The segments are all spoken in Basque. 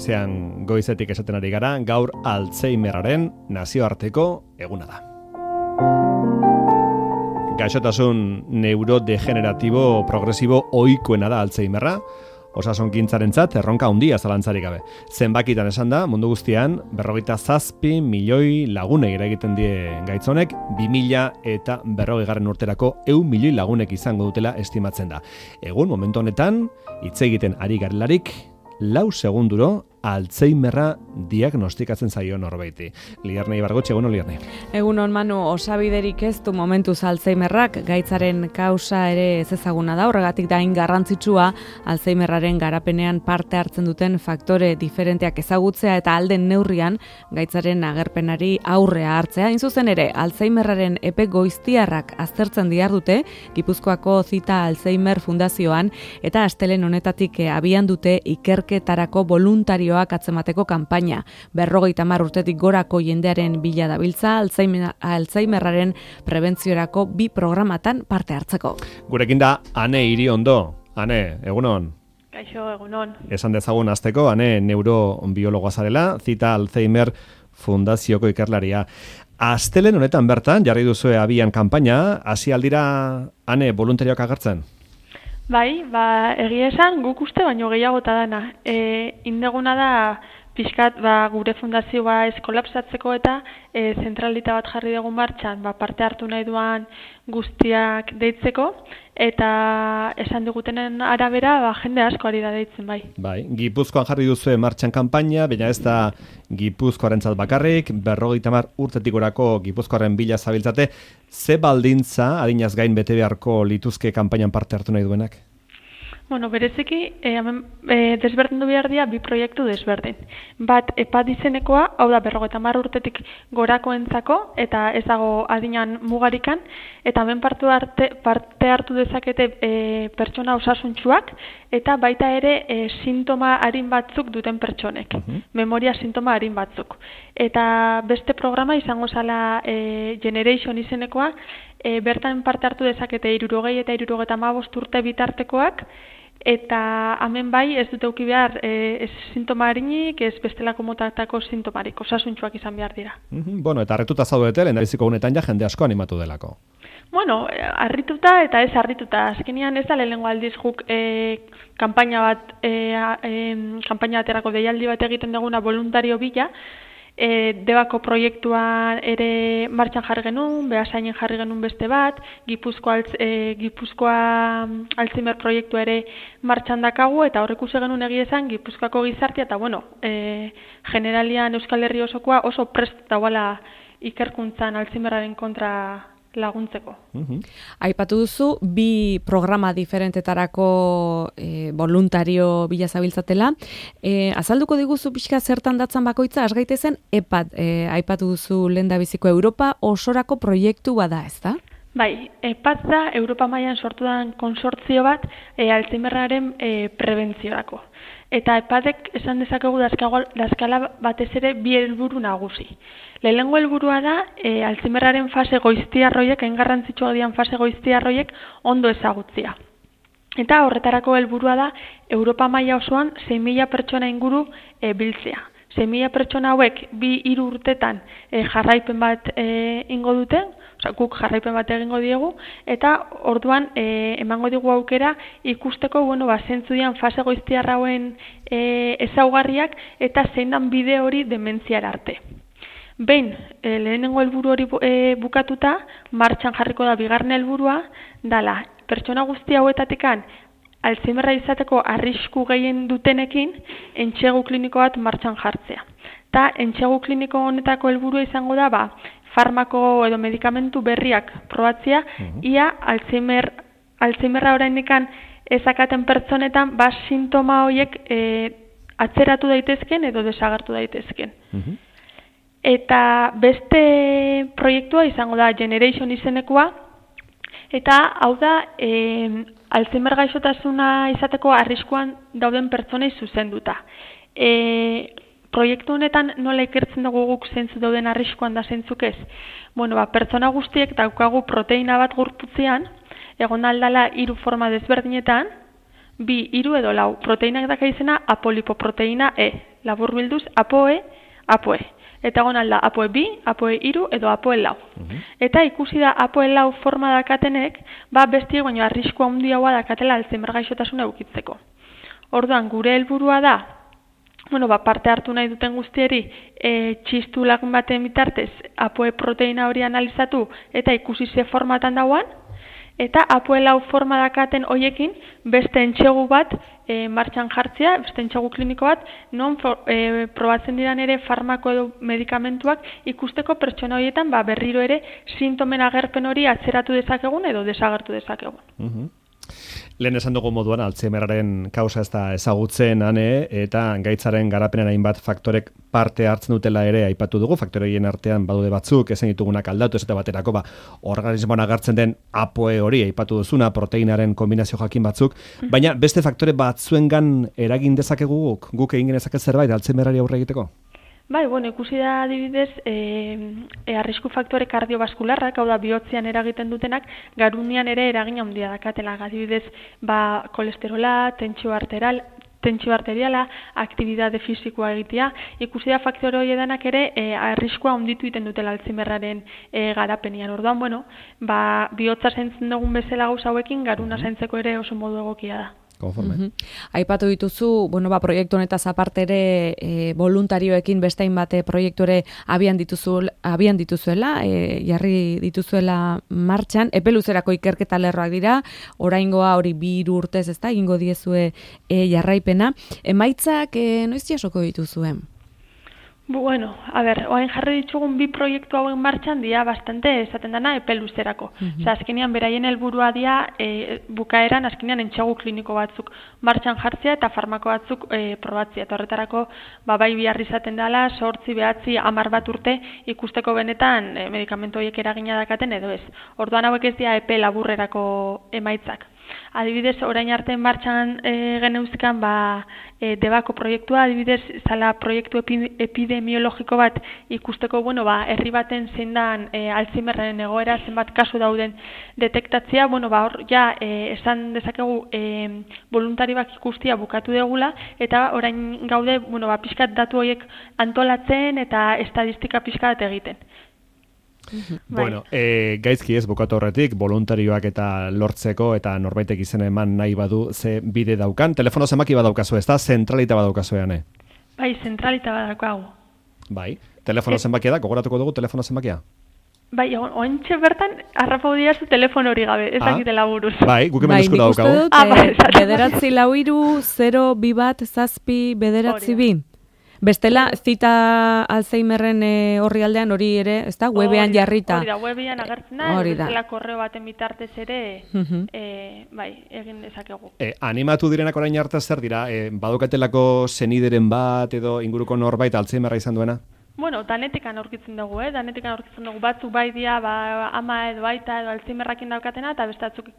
goizean goizetik esaten ari gara, gaur Alzheimerraren nazioarteko eguna da. Gaixotasun neurodegeneratibo progresibo ohikoena da Alzheimerra, osasungintzarentzat erronka handia zalantzarik gabe. Zenbakitan esan da, mundu guztian, 47 milioi lagunek eragiten die gaitzonek, 2040 urterako 100 milioi lagunek izango dutela estimatzen da. Egun, momentu honetan, hitz egiten ari garelarik, 4 segunduro Alzheimerra diagnostikatzen zaio norbaiti. Liarnei Bargotxe, egunon Liarnei. Egunon Manu, osabiderik ez du momentuz Alzheimerrak, gaitzaren kausa ere ez ezaguna da, horregatik da hain garrantzitsua Alzheimerraren garapenean parte hartzen duten faktore diferenteak ezagutzea eta alden neurrian gaitzaren agerpenari aurrea hartzea. Hain zuzen ere, Alzheimerraren epe goiztiarrak aztertzen dihardute, Gipuzkoako Zita Alzheimer Fundazioan, eta astelen honetatik abian dute ikerketarako voluntario atzemateko kanpaina. 50 urtetik gorako jendearen bila dabiltza Alzheimerraren prebentziorako 2 programatan parte hartzeko. Gurekin da Ane Iriondo. Ane, egunon. Kaixo, egunon. Esan dezagun hasteko, Ane neurobiologoa zarela, Zita Alzheimer Fundazioko ikerlaria. Astelen honetan bertan jarri duzue abian kanpaina, hasi aldira Ane voluntarioak agertzen? Bai, egia esan guk uste baino gehiagota dana. Indeguna da pixkat gure fundazioa eskolapsatzeko eta zentralita bat jarri dugun martxan, parte hartu nahi duan guztiak deitzeko, eta esan digutenen arabera jende asko ari da deitzen bai. Bai, Gipuzkoan jarri duzue martxan kanpaina, baina ez da Gipuzkoarentzat bakarrik, 50 urtetik gorako Gipuzkoaren bila zabiltzate, ze baldintza adinaz gain bete beharko lituzke kanpainan parte hartu nahi duenak? Bueno, bereziki, desberdindu behar dira 2 proiektu desberdin. Bat, EPAD izenekoa, hau da 50 urtetik gorakoentzako, eta ez dago adinan mugarikan, eta hemen parte hartu dezakete pertsona osasuntsuak, eta baita ere sintoma arin batzuk duten pertsonek, memoria sintoma arin batzuk. Eta beste programa izango zala Generation izenekoa, bertan parte hartu dezakete 60 eta 75 urte bitartekoak, eta hemen bai ez dute uki behar ez sintoma harinik, ez bestelako motatako sintomarik, osasuntsuak izan behar dira. Bueno, eta harrituta zaudete, lehendabiziko gunetan ja jende asko animatu delako. Bueno, harrituta eta ez harrituta. Azkenean ez da lehenengo aldiz guk kanpaina baterako deialdi bat egiten duguna voluntario bila, Debako proiektuan ere martxan jarri genuen, Beasainen jarri genuen beste bat, Gipuzkoa Alzheimer proiektua ere martxan dakagu, eta horrek ikusi genuen egia esan Gipuzkoako gizartea, eta generalian Euskal Herri osokoa oso prest dauala ikerkuntzan Alzheimerraren kontra laguntzeko. Aipatu duzu, 2 programa diferentetarako voluntario bila zabiltzatela. Azalduko diguzu pixka zertan datzan bakoitza, asgaitezen EPAD, aipatu duzu lehendabiziko Europa osorako proiektu bada, ez da? Bai, EPAD da Europa mailan sortu den konsortzio bat Alzheimerraren prebentziorako. Eta EPADek esan dezakegu dazkala batez ere 2 helburu nagusi. Lehenengo helburua da Alzheimerraren fase goiztiarroiek, garrantzitsua dian fase goiztiarroiek ondo ezagutzea. Eta horretarako helburua da Europa maila osoan 6.000 pertsona inguru biltzea. 6.000 pertsona hauek 2-3 urtetan jarraipen bat ingo dute, guk jarraipen bat egingo diegu, eta orduan emango digu aukera ikusteko zentzu dian fase goiztiarrauen ezaugarriak eta zein dan bide hori dementziara arte. Behin, lehenengo helburu hori bukatuta, martxan jarriko da 2. helburua, dala, pertsona guzti hauetatikan Alzheimerra izateko arrisku gehien dutenekin entsegu kliniko bat martxan jartzea. Eta entsegu kliniko honetako helburua izango da, farmako edo medikamentu berriak probatzea, ia Alzheimerra oraindikan ezakaten pertsonetan sintoma horiek atzeratu daitezken edo desagertu daitezken. Eta beste proiektua izango da Generation izenekoa, eta hau da Alzheimer gaixotasuna izateko arriskuan dauden pertsonei zuzenduta. Proiektu honetan nola ikertzen dugu guk zeintzu dauden arriskuan da zeintzuk ez? Pertsona guztiek daukagu proteina bat gorputzean, egon aldala 3 forma desberdinetan, 2, 3 edo 4. Proteinak daka izena apolipoproteina E. laburbilduz APOE, APOE. Eta egon alda APOE 2, APOE 3 edo APOE 4. Eta ikusi da APOE 4 forma dakatenek, bestiek baino arrisku handiagoa dakatela Alzheimer gaixotasuna edukitzeko. Orduan, gure helburua da, parte hartu nahi duten guztieri, txistu lagun baten bitartez APOE proteina hori analizatu eta ikusi ze formatan dauan, eta APOE 4 forma dakaten hoiekin beste entxegu bat martxan jartzea, beste entxegu kliniko bat, non probatzen diran ere farmako edo medikamentuak ikusteko pertsona horietan berriro ere sintomen agerpen hori atzeratu dezakegun edo desagertu dezakegun. Lehen esan dugu moduan, Alzheimerraren kausa ez da ezagutzen, eta gaitzaren garapenean hainbat faktorek parte hartzen dutela ere aipatu dugu, faktoreien artean badude batzuk, ezen ditugunak aldatu, ez eta baterako, organismoan agertzen den APOE hori, aipatu duzuna, proteinaren kombinazio jakin batzuk, baina beste faktore batzuengan eragin dezakegu guk egin genezake zerbait Alzheimerrari aurre egiteko? Bai, ikusi da adibidez, arrisku faktore kardiobaskularrak, hau da bihotzean eragiten dutenak, garunian ere eragin handia dakatela. Adibidez, kolesterola, tentsio arteriala, aktibitate fisikoa egitea, ikusi da faktore horiedanak ere arriskua handitu egiten dutela Alzheimerraren garapenian. Orduan, bihotza zaintzen dugun bezala gauza hauekin, garuna zaintzeko ere oso modu egokia da. Aipatu dituzu, proiektu honetaz aparte ere voluntarioekin beste hainbat proiektu ere abian dituzuela, jarri dituzuela martxan, epe luzerako ikerketa lerroak dira, oraingoa hori 2 urtez, ezta, egingo diezue jarraipena. Emaitzak noiz jasoko dituzuen? Oain jarri ditugun 2 proiektu hauen martxan dira bastante esaten dana epe luzerako. Azkenean beraien helburua dira bukaeran azkenean entxegu kliniko batzuk martxan jartzea eta farmako batzuk probatzea. Eta horretarako bai bihar izaten dela 8, 9, 10 urte ikusteko benetan medikamentu horiek eragina dakaten edo ez. Orduan hauek ez dira epe laburrerako emaitzak. Adibidez, orain arte martxan geneuzkan debako proiektua, adibidez, zala proiektu epidemiologiko bat ikusteko, herri baten zein dan Alzheimerraren egoera, zenbat kasu dauden detektatzea, hor esan dezakegu voluntarioak ikustia bukatu degula, eta orain gaude, pixkat datu horiek antolatzen eta estadistika pixkat egiten. Gaizki ez bukatu horretik, voluntarioak eta lortzeko eta norbaitek izena eman nahi badu ze bide daukan. Telefono zenbaki badaukazu, ez da? Zentralita badaukazu eane? Bai, zentralita badaukagu. Bai, telefono zenbakia da, gogoratuko dugu telefono zenbakia? Bai, ointxe bertan harrapau diazu telefono hori gabe, ez dakitela buruz. Bai, guk hemen eskura daukagu. Bederatzi lauiru, 022 Bestela, zita Alzheimerren horri aldean hori ere, ez da, webean jarrita. Hori da, webean agertzen da, bestela korreo baten bitartez ere, egin dezakegu. Animatu direnak orain arte zer dira, badukatelako senideren bat edo inguruko norbait Alzheimerra izan duena? Danetikan aurkitzen dugu, batzuk bai dia, ama edo aita edo Alzheimerrakin daukatena, eta bestatzuk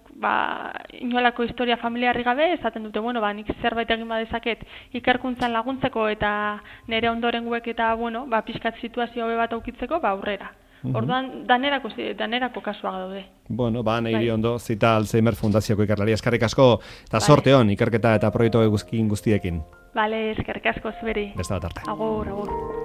inolako historia familiarri gabe, esaten dute, nik zerbait egin badezaket ikerkuntzan laguntzeko eta nire ondorenguek eta, pixkat situazio hobe bat aukitzeko, aurrera. Orduan, danerako kasuak daude. Nahiri ondo, zita Alzheimer Fundazioko ikerlari. Eskerrik asko, eta sorte hon, ikerketa eta proiektu guztiekin. Bale, eskerrik asko zuberi. Beste bat arte. Agur.